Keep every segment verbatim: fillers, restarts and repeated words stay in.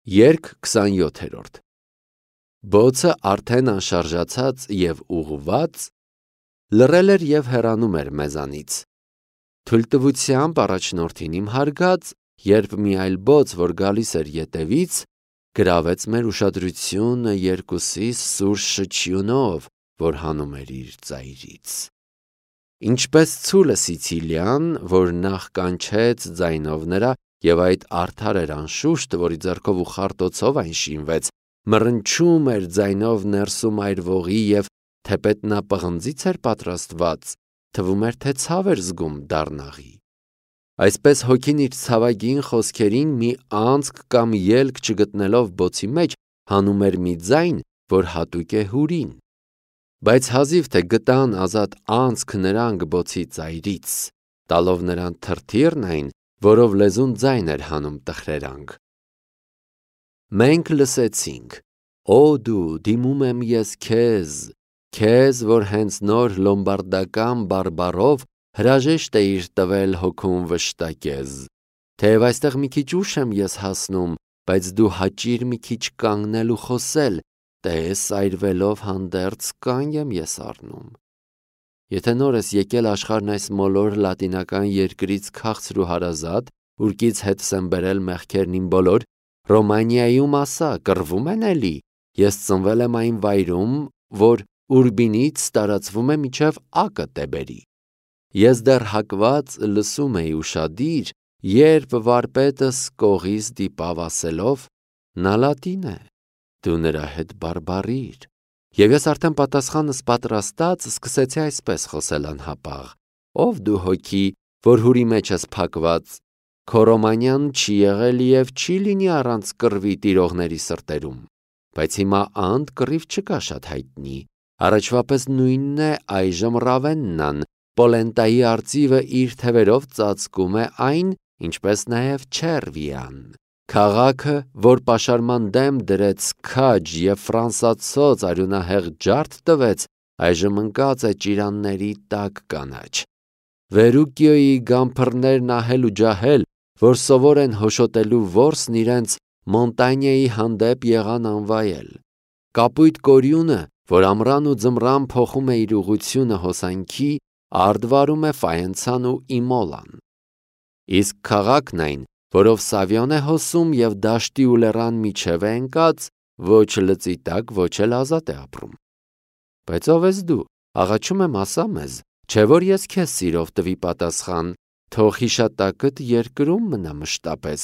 Երգ քսանյոթերորդ Բոցը արդեն անշարժացած և ուղղված լռել էր և հեռանում էր մեզանից։ Թույլտվությամբ առաջնորդին իմ հարգած, երբ մի այլ բոց, որ գալիս էր ետևից, գրավեց մեր ուշադրությունը երկուսիս սուր շչյունով, որ հանում էր իր ծայրից։ Ինչպես ցուլը Սիցիլիան, որ նախ կանչեց ձայնով նրա, և այդ արդար էր անշուշտ, որի ձեռքով ու խարտոցով այն շինվեց, մռնչում էր ձայնով ներսում այրվողի և թեպետ նա պղնձից էր պատրաստված, թվում էր, թե ցավ էր զգում դառնաղի։ Այսպես հոգին իր ցավագին խոսքերին մի անցք կամ ելք չգտնելով բոցի մեջ, հանում էր մի ձայն, որ հատուկ է հուրին։ Բայց հազիվ թե գտան ազատ անցք նրանք բոցի ծայրից, տալով նրան թրթիռն այն, որով լեզուն ձայն էր հանում տխրերանք։ Մենք լսեցինք. «Օ դու, դիմում եմ ես քեզ, քեզ, որ հենց նոր լոմբարդական բարբառով հրաժեշտ էիր տվել հոգում վշտակեզ, թեև այստեղ մի քիչ ուշ եմ ես հասնում, բայց դու հաճիր մի քիչ կանգնել ու խոսել, տես այրվելով հանդերձ կանգ եմ ես առնում»։ Եթե նոր ես եկել աշխարհն այս մոլոր լատինական երկրից քաղցր ու հարազատ, ուրկից հետս եմ բերել մեղքերն իմ բոլոր, Ռոմանիայում ասա, կռվում են էլի, ես ծնվել եմ այն վայրում, որ Ուրբինից տարածվում է մինչև Ակը Տեբերի։ Ես դեռ հակված լսում էի ուշադիր, երբ վարպետս կողից դիպավ ասելով. «Նա լատին է, դու նրա հետ բարբառիր»։ Եվ ես արդեն պատասխանս պատրաստած սկսեցի այսպես խոսել անհապաղ. «Ով դու հոգի, որ հուրի մեջ ես փակված, քո Ռոմանիան չի եղել և չի լինի առանց կռվի տիրողների սրտերում, բայց հիմա անդ կռիվ չկա շատ հայտնի, առաջվա պես նույնն է այժմ Ռավեննան, պոլենտայի արծիվը իր թևերով ծածկում է այն, ինչպես նաև Չերվիան, քաղաքը, որ պաշարման դեմ դրեց քաջ և ֆրանսացոց արյունահեղ ջարդ տվեց, այժմ ընկած է ճիրանների տաք կանաչ, Վերուկիոյի գամփռներն ահել ու ջահել, որ սովոր են հոշոտելու որսն իրենց Մոնտանյայի հանդեպ եղան անվայել, կապույտ կորյունը, որ ամռան ու ձմռան փոխում է իր ուղղությունը հոսանքի, արդ վարում է Ֆայենցան ու Իմոլան, իսկ քաղաքն այն, որով Սավիոն է հոսում և դաշտի ու լեռան միջև է ընկած, ոչ լծի տակ, ոչ էլ ազատ է ապրում։ Բայց ով ես դու, աղաչում եմ ասա մեզ, չէ որ ես քեզ սիրով տվի պատասխան, թող հիշատակդ երկրում մնա մշտապես։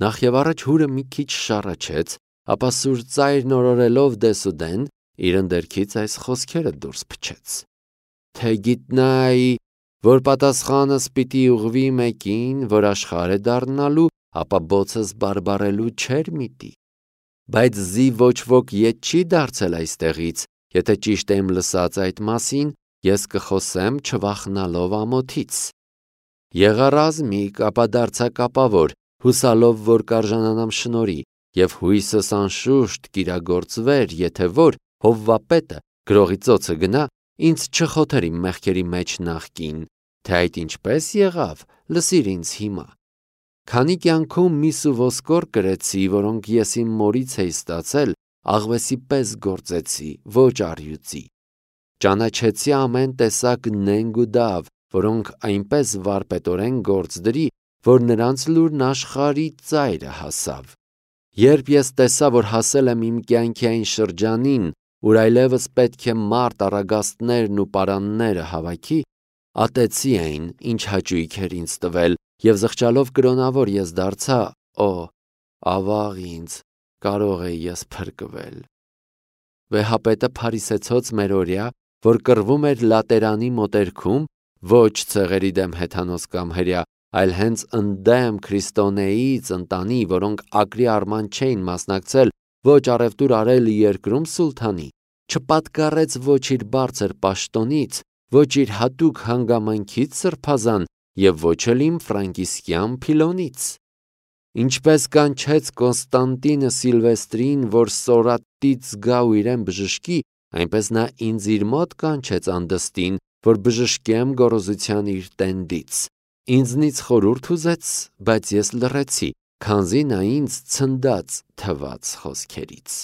Նախ և առաջ հուրը մի քիչ շառաչեց, ապա սուր ծայրն օրորելով դեսուդեն, իր ընդերքից այս խոսքերը դուրս փչեց. «Թե գիտնայի, որ պատասխանս պիտի ուղղվի մեկին, որ աշխարհ է դառնալու, ապա բոցս բարբառելու չէր միտի։ Բայց զի ոչ ոք ետ չի դարձել այստեղից, եթե ճիշտ եմ լսած այդ մասին, ես կխոսեմ չվախենալով ամոթից։ Եղա ռազմիկ, ապա դարձա կապավոր, հուսալով, որ կարժանանամ շնորհի, և հույսս անշուշտ կիրագործվեր, եթե որ Հովվապետը գրողի ծոցը գնա, ինձ չխոթեր իմ մեղքերի մեջ նախկին, թե այդ ինչպես եղավ, լսիր ինձ հիմա։ Քանի կյանքում միս ու ոսկոր կրեցի, որոնք ես իմ մորից էի ստացել, աղվեսի պես գործեցի, ոչ առյուծի։ Ճանաչեցի ամեն տեսակ նենգ ու դավ, որոնք այնպես վարպետորեն գործ դրի, որ նրանց լուրն աշխարհի ծայրը հասավ։ Երբ ես տեսա, որ հասել եմ իմ կյանքի այն շրջանին, ուր այլևս պետք է մարդ առագաստներն ու պարանները հավաքի, ատեցի այն, ինչ հաճույք էր ինձ տվել, և զղջալով կրոնավոր ես դարձա, օ, ավաղ ինձ, կարող էի ես փրկվել։ Վեհապետը փարիսեցոց մերօրյա, որ կռվում էր Լատերանի մոտերքում, ոչ ցեղերի դեմ հեթանոս կամ հրեա, այլ հենց ընդդեմ քրիստոնեից ընտանի, որոնք ակրի արման չէին մասնակցել ոչ առևտուր արել երկրում սուլթանի, չպատկառեց ոչ իր բարձր պաշտոնից, ոչ իր հատուկ հանգամանքից սրբազան և ոչ էլ իմ ֆրանկիսկյան փիլոնից։ Ինչպես կանչեց Կոնստանտինը Սիլվեստրին, որ սորատից գա ու իրեն բժշկի, այնպես նա ինձ իր մոտ կանչեց անդստին, որ բժշկեմ գոռոզության իր տենդից։ Ինձնից խորհուրդ ուզեց, բայց ես լռեցի, քանզի նա ինձ ցնդած թված խոսքերից։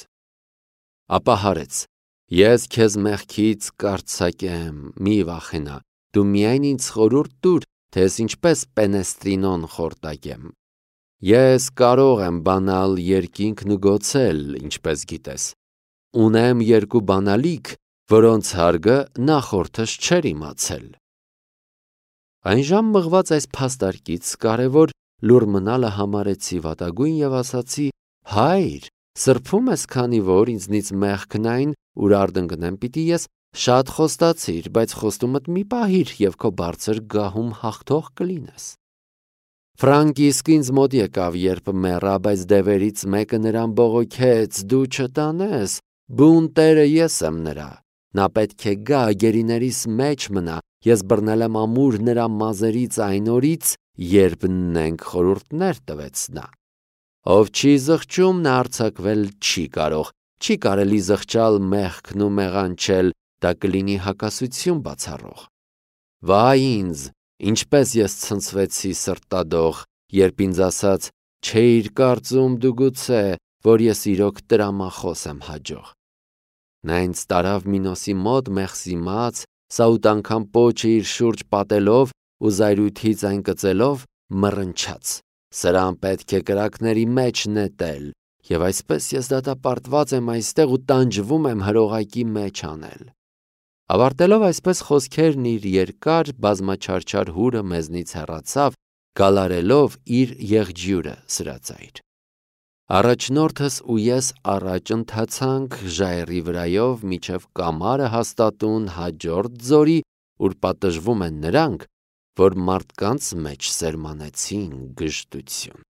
Ապա հարեց. ես քեզ մեղքից կարձակեմ, մի վախենա, դու միայն ինձ խորհուրդ տուր, թե ես ինչպես պենեստրինոն խորտակեմ։ Ես կարող եմ բանալ երկինքն ու գոցել, ինչպես գիտես։ Ունեմ երկու բանալիք, որոնց հարգը նախորդս չէր իմացել։ Այն ժամ մղված այս փաստարկից կարևոր լուր մնալը համարեցի վատագույն և ասացի. հայր, սրբում ես, քանի որ ինձնից մեղքն այն, ուր արդընկնեմ պիտի ես, շատ խոստացիր, բայց խոստումդ մի պահիր և քո բարձր գահում հաղթող կլինես։ Ֆրանկիսկ ինձ մոտ եկավ, երբ մեռա, բայց դևերից մեկը նրան բողոքեց. դու չտանես, բուն տերը ես եմ նրա։ Նա պետք է գա, գերիներիս մեջ մնա, ես բռնել եմ ամուր նրա մազերից այն օրից, երբ նենք խորհուրդներ տվեց նա։ Ով չի զղջում, նա արձակվել չի կարող, չի կարելի զղջալ մեղքն ու մեղանչել, դա կլինի հակասություն բացառող։ Վայ ինձ, ինչպես ես ցնցվեցի սրտադող, երբ ինձ ասաց. չէիր կարծում դու գուցե, որ ես իրոք տրամախոս եմ հաջող։ Նա ինձ տարավ Մինոսի մոտ մեղսիմաց, սաութ անգամ պոչը իր շուրջ պատելով ու զայրույթից այն կծելով մռնչաց. սրան պետք է կրակների մեջ նետել, և այսպես ես դատապարտված եմ այստեղ ու տանջվում եմ հրողակի մեջ անել։ Ավարտելով այսպես խոսքերն իր երկար բազմաչարչար հուրը մեզնից հեռացավ, գալարելով իր եղջյուրը սրածայր։ Առաջնորդս ու ես առաջ ընթացանք ժայռի վրայով մինչև կամարը հաստատուն հաջորդ ձորի, ուր պատժվում են նրանք, որ մարդկանց մեջ սերմանեցին գժտություն։